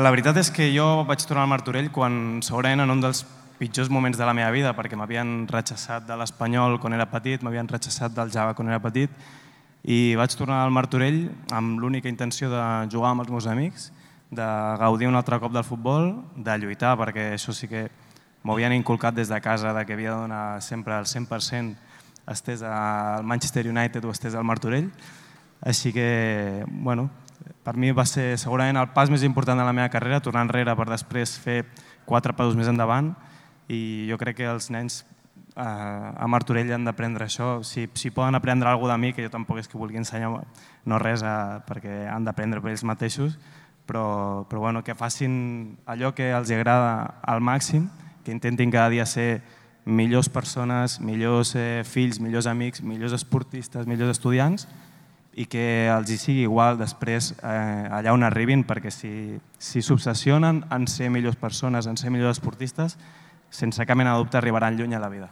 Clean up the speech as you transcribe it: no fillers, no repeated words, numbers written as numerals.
La veritat és que jo vaig tornar al Martorell quan segurament en un dels pitjors moments de la meva vida, perquè m'havien rechaçat de l'Espanyol quan era petit, m'havien rechaçat del Java quan era petit, i vaig tornar al Martorell amb l'única intenció de jugar amb els meus amics, de gaudir un altre cop del futbol, de lluitar, perquè això sí que m'ho havien inculcat des de casa, que havia de donar sempre el 100%, estés al Manchester United o estés al Martorell. Així que, bueno, per mi va ser segurament el pas més important de la meva carrera, tornar enrere per després fer 4 passos més endavant, i jo crec que els nens a Martorell han d'aprendre això. Si poden aprendre alguna cosa de mi, que jo tampoc és que vulgui ensenyar no res, perquè han d'aprendre per ells mateixos, però que facin allò que els agrada al màxim, que intentin cada dia ser millors persones, millors fills, millors amics, millors esportistes, millors estudiants, i que els hi sigui igual després allà on arribin, perquè si s'obsessionen en ser millors persones, en ser millors esportistes, sense cap mena de dubte arribaran lluny a la vida.